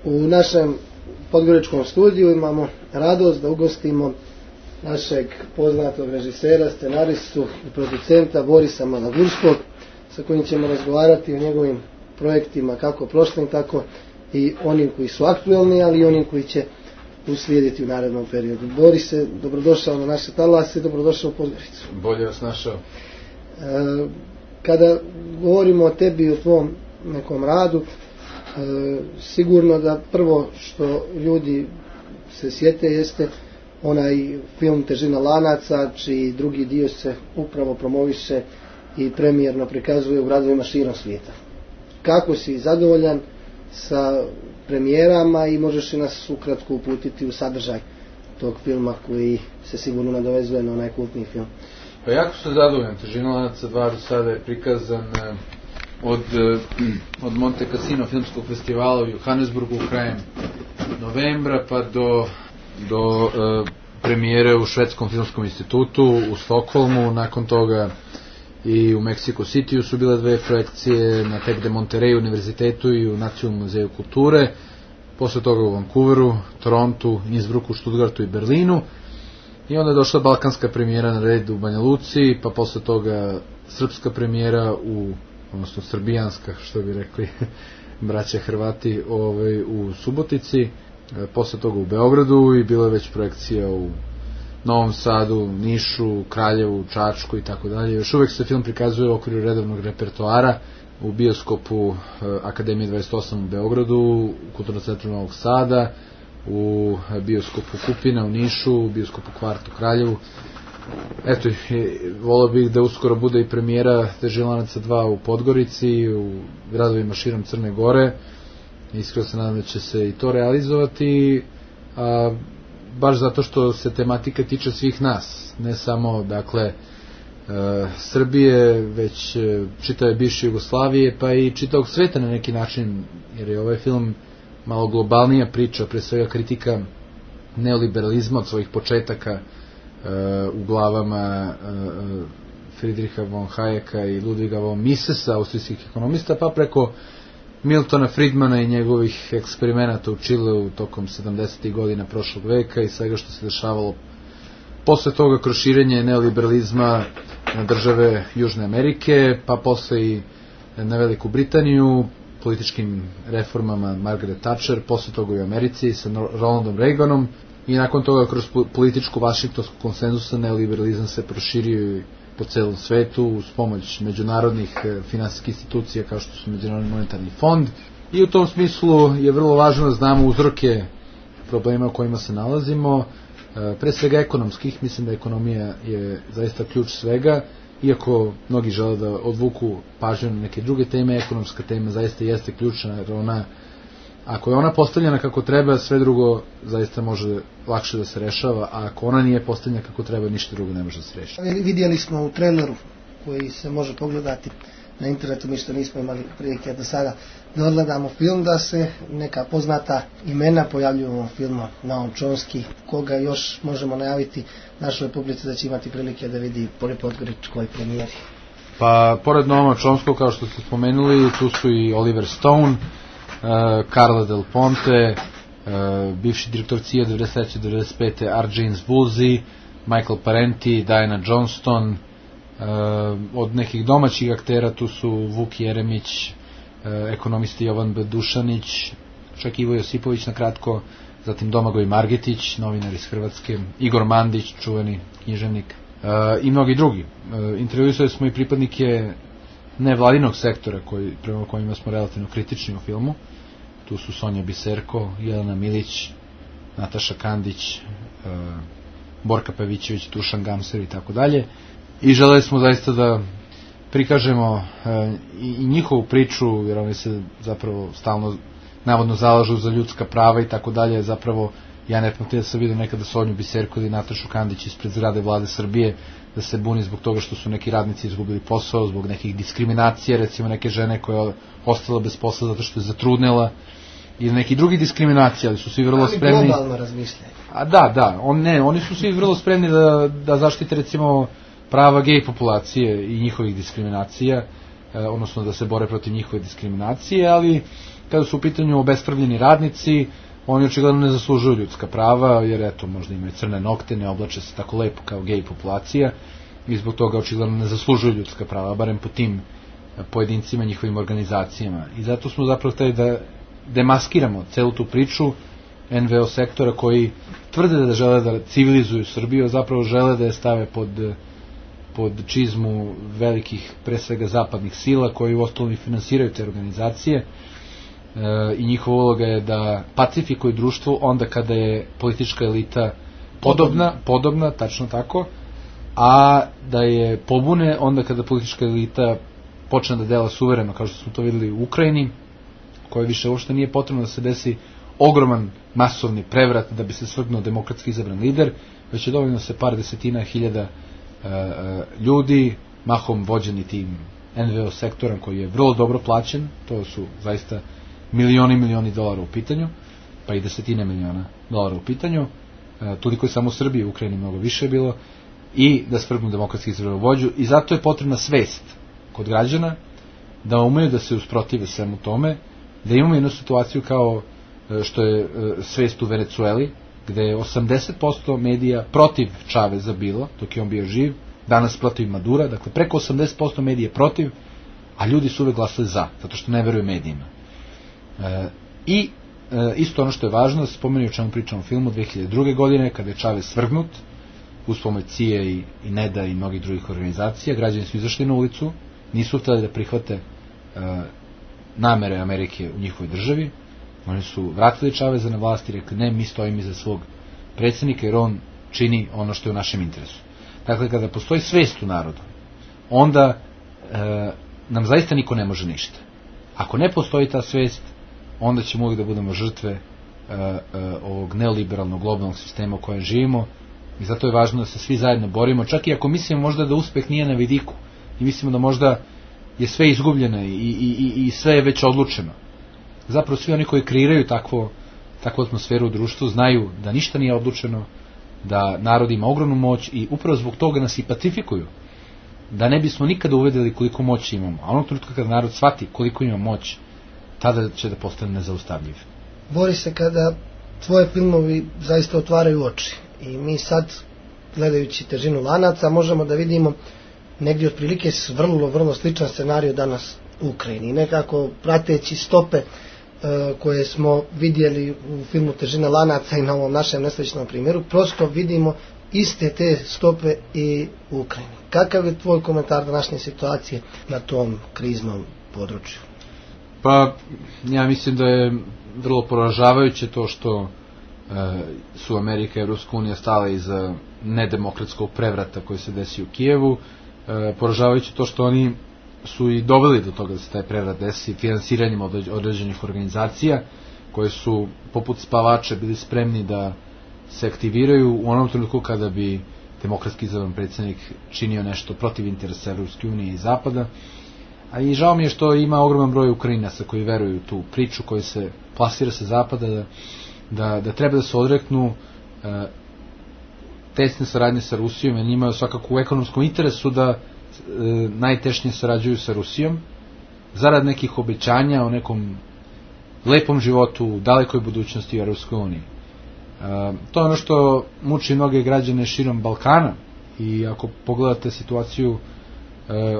U našem podgoričkom studiju imamo radost da ugostimo našeg poznatog režisera, scenaristu i producenta Borisa Malagurskog, sa kojim ćemo razgovarati o njegovim projektima, kako prošlim, tako i onim koji su aktuelni, ali i onim koji će uslijediti u narednom periodu. Borise, dobrodošao na naše talase, dobrodošao u Podgoricu. Bolje vas našao. Kada govorimo o tebi i o tvom nekom radu, sigurno da prvo što ljudi se sjete jeste onaj film Težina lanaca, čiji drugi dio se upravo promoviše i premijerno prikazuje u gradovima širom svijeta. Kako si zadovoljan sa premijerama i možeš li nas ukratko uputiti u sadržaj tog filma koji se sigurno nadovezuje na onaj kultni film? Pa jako sam zadovoljan. Težina lanaca 2 do sada je prikazan od Monte Cassino filmskog festivala u Johannesburgu krajem novembra pa do premijere u Švedskom filmskom institutu u Stokholmu. Nakon toga i u Mexico Cityu su bile 2 projekcije, na Tec de Monterrey univerzitetu i u Nacionalnom muzeju kulture. Posle toga u Vancouveru, Torontu, Innsbrucku, Stuttgartu i Berlinu. I onda je došla balkanska premijera na red u Banja Luci, pa posle toga srpska premijera odnosno srbijanska, što bi rekli braća Hrvati, u Subotici, posle toga u Beogradu i bilo je već projekcija u Novom Sadu, Nišu, Kraljevu, Čačku i tako dalje. Još uvek se film prikazuje u okviru redovnog repertoara u bioskopu Akademije 28 u Beogradu, u Kulturnom centru Novog Sada, u bioskopu Kupina u Nišu, u bioskopu Kvart u Kraljevu. Eto, volio bih da uskoro bude i premijera Težina lanaca 2 u Podgorici, u gradovima širom Crne Gore. Iskreno se nadam da će se i to realizovati, baš zato što se tematika tiče svih nas, ne samo, dakle, Srbije, već čitave bivše Jugoslavije, pa i čitavog sveta na neki način, jer je ovaj film malo globalnija priča, pre svega kritika neoliberalizma od svojih početaka u glavama Friedricha von Hayeka i Ludwiga von Misesa, austrijskih ekonomista, pa preko Miltona Friedmana i njegovih eksperimenata u Čileu tokom 70. godina prošlog veka i svega što se dešavalo posle toga kroz širenje neoliberalizma na države Južne Amerike, pa posle i na Veliku Britaniju, političkim reformama Margaret Thatcher, posle toga i u Americi sa Ronaldom Reaganom i nakon toga kroz političku vašingtonsku konsenzusa neoliberalizam se proširio po celom svetu uz pomoć međunarodnih finansijskih institucija kao što su Međunarodni monetarni fond i u tom smislu je vrlo važno da znamo uzroke problema u kojima se nalazimo, pre svega ekonomskih. Mislim da ekonomija je zaista ključ svega, iako mnogi žele da odvuku pažnju na neke druge teme, ekonomska tema zaista jeste ključna, jer ako je ona postavljena kako treba, sve drugo zaista može lakše da se rešava, a ako ona nije postavljena kako treba, ništa drugo ne može da se reši. Vidjeli smo u traileru koji se može pogledati na internetu, mi što nismo imali prilike do sada da odgledamo film, da se neka poznata imena pojavljuju u ovom filmu. Noam Chomsky, koga još možemo najaviti našoj publici da će imati prilike da vidi po podgoričkoj premijeri. Pa, pored Noama Chomskog, kao što ste spomenuli, tu su i Oliver Stone, Carla Del Ponte, bivši direktor CIA 93-95. R. James Woolsey, Michael Parenti, Diana Johnston. Od nekih domaćih aktera tu su Vuk Jeremić, ekonomisti Jovan B. Dušanić, čak Ivo Josipović na kratko, zatim Domagoj Margetić, novinar iz Hrvatske, Igor Mandić, čuveni književnik, i mnogi drugi. Intervjuisali smo i pripadnike nevladinog sektora prema kojima smo relativno kritični u filmu. Tu su Sonja Biserko, Jelena Milić, Nataša Kandić, Borka Pavićević, Dušan Gamser i tako dalje. I želeli smo zaista da prikažemo i njihovu priču, jer oni se zapravo stalno navodno zalažu za ljudska prava i tako dalje. Zapravo ja ne pamtim da sam vidio nekada Sonju Biserko ili Natašu Kandić ispred zgrade Vlade Srbije da se buni zbog toga što su neki radnici izgubili posao, zbog nekih diskriminacija, recimo neke žene koja je ostala bez posla zato što je zatrudnela, ili neki drugi diskriminacija, ali su svi vrlo spremni. Ali globalno razmišljaju. Da, oni su svi vrlo spremni da zaštite recimo prava gej populacije i njihovih diskriminacija, odnosno da se bore protiv njihove diskriminacije, ali kada su u pitanju obespravljeni radnici, oni očigledno ne zaslužuju ljudska prava, jer eto, možda imaju crne nokte, ne oblače se tako lepo kao gej populacija i zbog toga očigledno ne zaslužuju ljudska prava, barem po tim pojedincima, njihovim organizacijama. I zato smo zapravo hteli da demaskiramo celu tu priču NVO sektora koji tvrde da žele da civilizuju Srbiju, a zapravo žele da je stave pod čizmu velikih, pre svega zapadnih sila, koji u ostalom i finansiraju te organizacije, i njihova uloga je da pacifikuju društvo onda kada je politička elita podobna, tačno tako, a da je pobune onda kada politička elita počne da dela suvereno, kao što smo to videli u Ukrajini, koje više uopšte nije potrebno da se desi ogroman masovni prevrat da bi se svrgnuo demokratski izabran lider, već je dovoljno se par desetina hiljada ljudi, mahom vođeni tim NVO sektorom koji je vrlo dobro plaćen, to su zaista milioni dolara u pitanju, pa i desetine miliona dolara u pitanju, toliko je samo u Srbiji, u Ukrajini mnogo više je bilo, i da svrgnu demokratski izabran vođu, i zato je potrebna svest kod građana da umeju da se usprotive svemu tome, da imamo jednu situaciju kao što je svest u Venecueli, gde je 80% medija protiv Čaveza bilo, dok je on bio živ, danas protiv Madura, dakle preko 80% medija protiv, a ljudi su uvek glasali za, zato što ne veruju medijima. I isto ono što je važno, da se spomeni o čemu pričamo u filmu, 2002. godine, kada je Čavez svrgnut, uz pomoć CIA i NEDA i mnogih drugih organizacija, građani su izašli na ulicu, nisu hteli da prihvate namere Amerike u njihovoj državi, oni su vratili Čaveza na vlast i rekli ne, mi stojimo iza svog predsjednika jer on čini ono što je u našem interesu. Dakle, kada postoji svest u narodu, onda nam zaista niko ne može ništa. Ako ne postoji ta svest, onda ćemo uvijek da budemo žrtve ovog neoliberalnog globalnog sistema u kojem živimo, i zato je važno da se svi zajedno borimo, čak i ako mislimo možda da uspeh nije na vidiku i mislimo da možda je sve izgubljeno i sve je već odlučeno. Zapravo svi oni koji kreiraju takvu atmosferu u društvu znaju da ništa nije odlučeno, da narod ima ogromnu moć i upravo zbog toga nas i pacifikuju, da ne bismo nikada uvedeli koliko moći imamo, a onog trenutka kada narod shvati koliko ima moć, tada će da postane nezaustavljiv. Borise, kada tvoje filmovi zaista otvaraju oči i mi sad, gledajući Težinu lanaca, možemo da vidimo negdje otprilike vrlo sličan scenarij danas u Ukrajini. Nekako prateći stope koje smo vidjeli u filmu Težina lanaca i na ovom našem nesrećnom primjeru, prosto vidimo iste te stope i u Ukrajini. Kakav je tvoj komentar današnje situacije na tom kriznom području? Pa, ja mislim da je vrlo poražavajuće to što su Amerika i Ruska unija stale iza nedemokratskog prevrata koji se desi u Kijevu, poražavajuće to što oni su i doveli do toga da se taj prevrat desi finansiranjem određenih organizacija koje su poput spavača bili spremni da se aktiviraju u onom trenutku kada bi demokratski izabran predsjednik činio nešto protiv interesa Ruske unije i Zapada. A i žao mi je što ima ogroman broj Ukrajinaca koji veruju tu priču koji se plasira sa Zapada da treba da se odreknu tesne saradnje sa Rusijom, jer njima je svakako u ekonomskom interesu da najtešnije sarađuju sa Rusijom zarad nekih obećanja o nekom lepom životu u dalekoj budućnosti u Europskoj uniji. To je ono što muči mnoge građane širom Balkana, i ako pogledate situaciju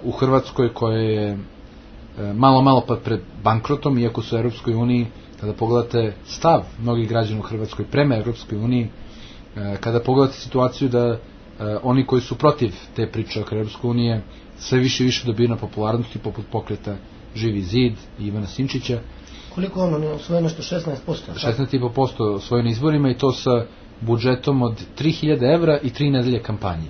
u Hrvatskoj koja je malo pa pred bankrotom, iako su u Europskoj uniji, kada pogledate stav mnogih građana u Hrvatskoj prema Europskoj uniji, kada pogledate situaciju da oni koji su protiv te priče oko Europske unije sve više dobiju na popularnosti, poput pokreta Živi zid i Ivana Sinčića. Koliko ono osvojeno nešto 16%? 16,5% osvojeno izborima, i to sa budžetom od 3000 evra i 3 nedelje kampanje.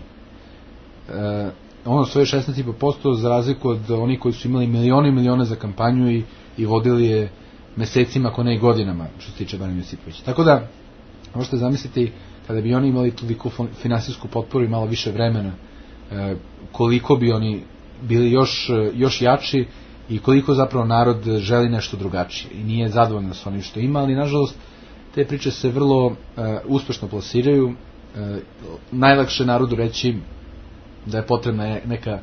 On osvojio 16,5% za razliku od onih koji su imali milione za kampanju i vodili je mesecima, ako ne i godinama, što se tiče Branimira Josipovića. Tako da, možete zamisliti, kada bi oni imali toliko finansijsku potporu i malo više vremena, koliko bi oni bili još jači i koliko zapravo narod želi nešto drugačije i nije zadovoljno s onim što ima, ali nažalost te priče se vrlo uspešno plasiraju. Najlakše narodu reći da je potrebna neka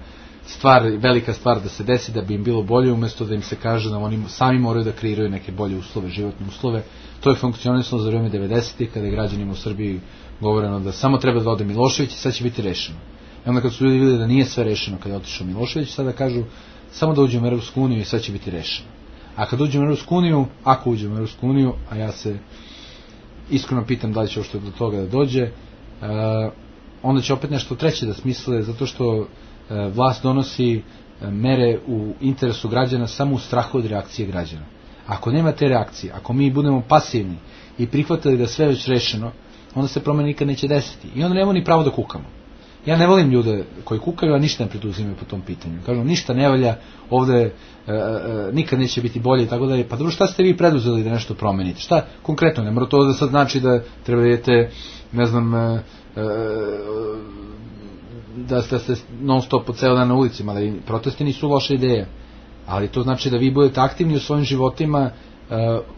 velika stvar da se desi da bi im bilo bolje, umjesto da im se kaže da oni sami moraju da kreiraju neke bolje uslove, životne uslove. To je funkcionisalo za vrijeme 90-ih, kada je građanima u Srbiji govoreno da samo treba da ode Milošević i sad će biti rešeno. I onda kad su ljudi vidjeli da nije sve rešeno kada je otišao Milošević, sada kažu samo da uđemo u Europsku uniju i sve će biti rešeno. A kad uđemo u Europsku uniju, ako uđemo u Europsku uniju, a ja se iskreno pitam da li će uopšte do toga da dođe, onda će opet nešto treće da smisle, zato što vlast donosi mere u interesu građana samo u strahu od reakcije građana. Ako nema te reakcije, ako mi budemo pasivni i prihvatili da sve već rešeno, onda se promene nikad neće desiti. I onda nemamo ni pravo da kukamo. Ja ne volim ljude koji kukaju, a ništa ne preduzimaju po tom pitanju. Kažu, ništa ne valja, ovde nikad neće biti bolje i tako dalje. Pa dobro, šta ste vi preduzeli da nešto promenite? Šta konkretno? Ne mora to da sad znači da treba idete, ne znam, da ste non stop po ceo dan na ulicima, ali protesti nisu loša ideja. Ali to znači da vi budete aktivni u svojim životima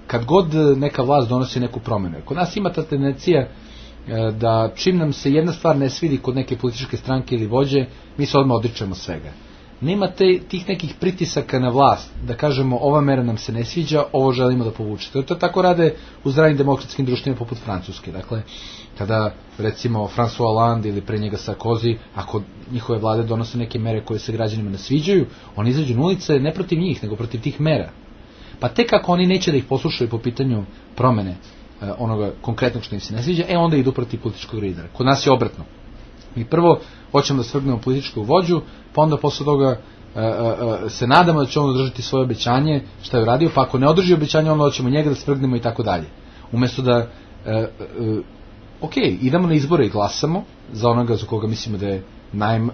kad god neka vlast donosi neku promenu. Kod nas ima ta tendencija da čim nam se jedna stvar ne svidi kod neke političke stranke ili vođe, mi se odmah odričemo svega. Nema tih nekih pritisaka na vlast da kažemo ova mera nam se ne sviđa, ovo želimo da povučete. To tako rade u zdravim demokratskim društvima poput Francuske. Dakle, kada recimo François Hollande ili pre njega Sarkozy, ako njihove vlade donose neke mere koje se građanima ne sviđaju, oni izađu na ulice ne protiv njih, nego protiv tih mera. Pa tek ako oni neće da ih poslušaju po pitanju promene onoga konkretnog što im se ne sviđa, onda idu protiv političkog lidera. Kod nas je obratno. Mi prvo hoćemo da svrgnemo političkog vođu, pa onda posle toga se nadamo da će on održati svoje obećanje, šta je uradio, pa ako ne održi obećanje, onda hoćemo njega da svrgnemo i tako dalje. Umesto da idemo na izbore i glasamo za onoga za koga mislimo da je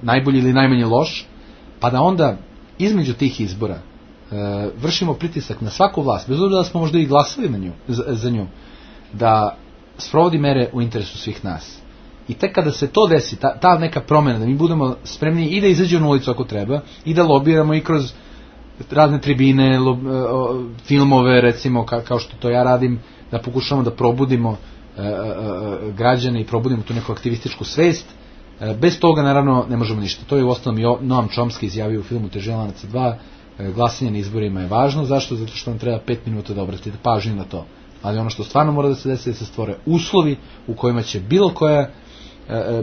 najbolji ili najmanje loš, pa da onda između tih izbora vršimo pritisak na svaku vlast, bez obzira da smo možda i glasali za nju, da sprovodi mere u interesu svih nas. I tek kada se to desi, ta neka promjena, da mi budemo spremni i da izađemo na ulicu ako treba, i da lobiramo i kroz razne tribine, filmove recimo, kao što to ja radim, da pokušamo da probudimo građane i probudimo tu neku aktivističku svest. Bez toga naravno ne možemo ništa. To je u osnovom i Noam Chomsky izjavio u filmu Težina lanaca 2, glasanje na izborima je važno. Zašto? Zato što nam treba 5 minuta da obratite pažnju na to. Ali ono što stvarno mora da se desi, da se stvore uslovi u kojima će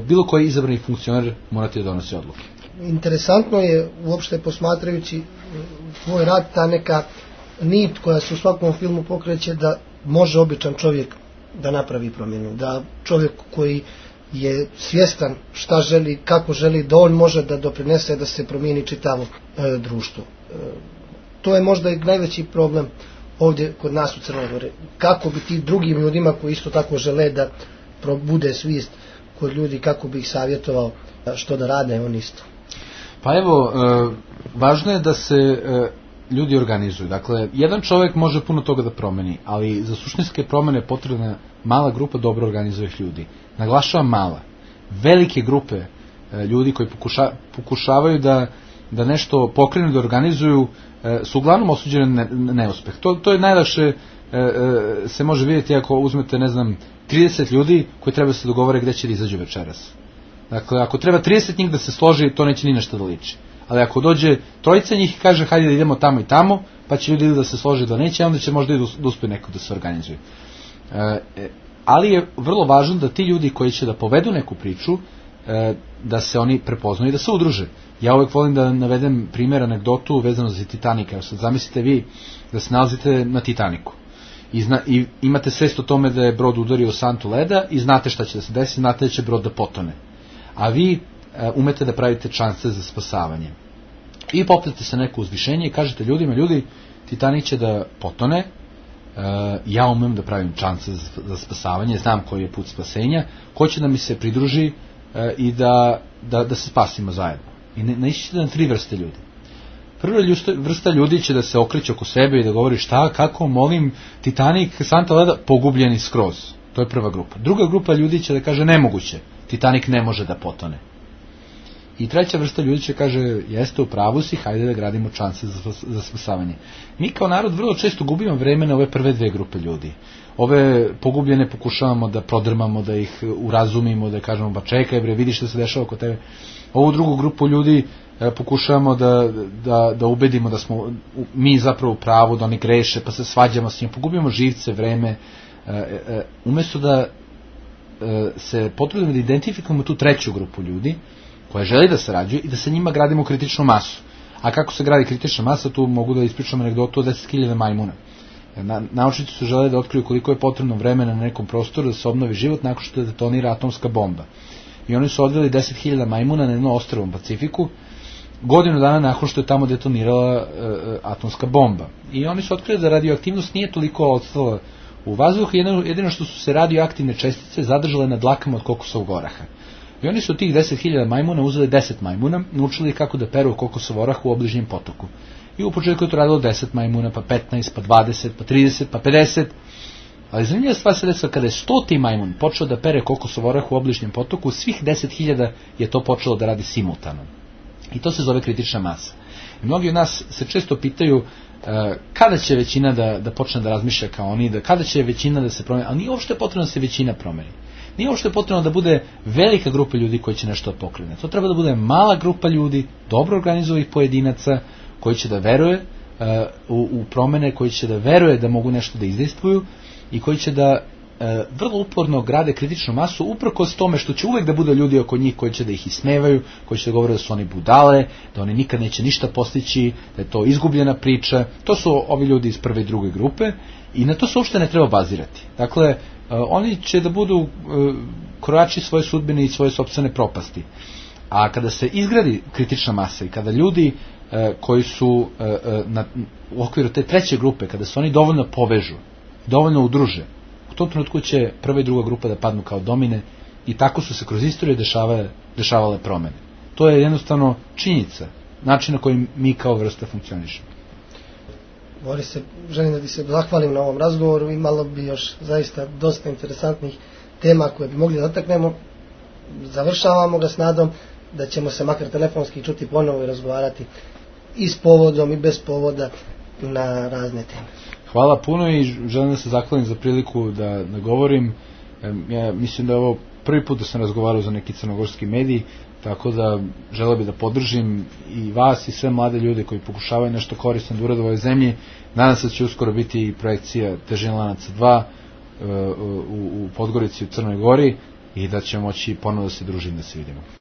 bilo koji izabrani funkcioner morati da donosi odluke. Interesantno je uopšte posmatrajući tvoj rad ta neka nit koja se u svakom filmu pokreće da može običan čovjek da napravi promjenu, da čovjek koji je svjestan šta želi, kako želi, da on može da doprinese da se promijeni čitavo društvo. To je možda i najveći problem ovdje kod nas u Crnoj Gori. Kako bi ti drugim ljudima koji isto tako žele da probude svijest kod ljudi, kako bi ih savjetovao što da rade on isto? Pa evo, važno je da se ljudi organizuju. Dakle, jedan čovjek može puno toga da promeni, ali za suštinske promjene potrebna mala grupa dobro organizovanih ljudi. Naglašavam mala. Velike grupe ljudi koji pokušavaju da nešto pokrenu, da organizuju, su uglavnom osuđene na neuspeh. To je najlakše se može vidjeti ako uzmete, 30 ljudi koji treba se dogovore gdje će da izađu večeras. Dakle, ako treba 30 njih da se složi, to neće ni nešto da liči. Ali ako dođe trojica njih i kaže hajde da idemo tamo i tamo, pa će ljudi da se složi da neće, onda će možda i da uspe neko da se organizuje. Ali je vrlo važno da ti ljudi koji će da povedu neku priču, da se oni prepoznaju i da se udruže. Ja uvijek volim da navedem primjer, anegdotu vezano za Titanik. Evo sad zamislite vi da se nalazite na Titaniku i imate svest o tome da je brod udario u santu leda i znate šta će da se desi, znate da će brod da potone. A vi umete da pravite šanse za spasavanje. I popnete se neko uzvišenje i kažete ljudima, ljudi, Titanik će da potone, ja umem da pravim šanse za spasavanje, znam koji je put spasenja, ko će da mi se pridruži i da se spasimo zajedno. I naišćete na 3 vrste ljudi. Prva vrsta ljudi će da se okreće oko sebe i da govori šta, kako, molim, Titanik, santa leda, pogubljeni skroz. To je prva grupa. Druga grupa ljudi će da kaže nemoguće, Titanik ne može da potone. I treća vrsta ljudi će kaže, jeste u pravu si, hajde da gradimo šanse za spasavanje. Mi kao narod vrlo često gubimo vreme na ove prve 2 grupe ljudi. Ove pogubljene pokušavamo da prodrmamo, da ih urazumimo, da kažemo, ba čekaj bre, vidi što se dešava oko tebe. Ovu drugu grupu ljudi pokušavamo da ubedimo da smo mi zapravo u pravu, da oni greše, pa se svađamo s njim, pogubimo živce, vreme, umjesto da se potrudimo da identifikujemo tu treću grupu ljudi koja želi da sarađuje i da sa njima gradimo kritičnu masu. A kako se gradi kritična masa, tu mogu da ispričam anegdotu o 10.000 majmuna. Naučnici su žele da otkriju koliko je potrebno vremena na nekom prostoru da se obnovi život nakon što detonira atomska bomba. I oni su odveli 10.000 majmuna na jedno ostrvo u Pacifiku, godinu dana nakon što je tamo detonirala atomska bomba. I oni su otkrili da radioaktivnost nije toliko odstala u vazduhu, jedino što su se radioaktivne čestice zadržale na dlakama od kokosovog oraha. I oni su od tih 10.000 majmuna uzeli 10 majmuna, naučili kako da peru kokosov orah u obližnjem potoku. I u početku je to radilo 10 majmuna, pa 15, pa 20, pa 30, pa 50. Ali zanimljiva stvar se desila kada je 100. majmun počeo da pere kokosov orah u obližnjem potoku, svih 10.000 je to počelo da radi simultano. I to se zove kritična masa. I mnogi od nas se često pitaju kada će većina da počne da razmišlja kao oni, kada će većina da se promeni, ali nije uopšte potrebno da se većina promeni. Nije uopšte potrebno da bude velika grupa ljudi koji će nešto pokrene. To treba da bude mala grupa ljudi, dobro organizovanih pojedinaca, koji će da veruje u promene, koji će da veruje da mogu nešto da izdejstvuju i koji će da vrlo uporno grade kritičnu masu uprkos tome što će uvek da bude ljudi oko njih koji će da ih ismevaju, koji će da govore da su oni budale, da oni nikad neće ništa postići, da je to izgubljena priča. To su ovi ljudi iz prve i druge grupe i na to se uopšte ne treba bazirati. Dakle, oni će da budu krojači svoje sudbine i svoje sopstvene propasti. A kada se izgradi kritična masa i kada ljudi koji su u okviru te treće grupe, kada se oni dovoljno povežu, dovoljno udruže, u tom trenutku će prva i druga grupa da padnu kao domine i tako su se kroz istoriju dešavale promene. To je jednostavno činjenica, način na koji mi kao vrsta funkcionišemo. Boris, želim da ti se zahvalim na ovom razgovoru, imalo bi još zaista dosta interesantnih tema koje bi mogli da dotaknemo. Završavamo ga s nadom da ćemo se makar telefonski čuti ponovo i razgovarati i s povodom i bez povoda na razne teme. Hvala puno i želim da se zahvalim za priliku da govorim. Ja mislim da je ovo prvi put da sam razgovarao za neki crnogorski medij, tako da želeo bih da podržim i vas i sve mlade ljude koji pokušavaju nešto korisno da urade u ovoj zemlji. Nadam se da će uskoro biti i projekcija Težina lanaca 2 u Podgorici u Crnoj Gori i da ćemo moći ponovo da se družimo, da se vidimo.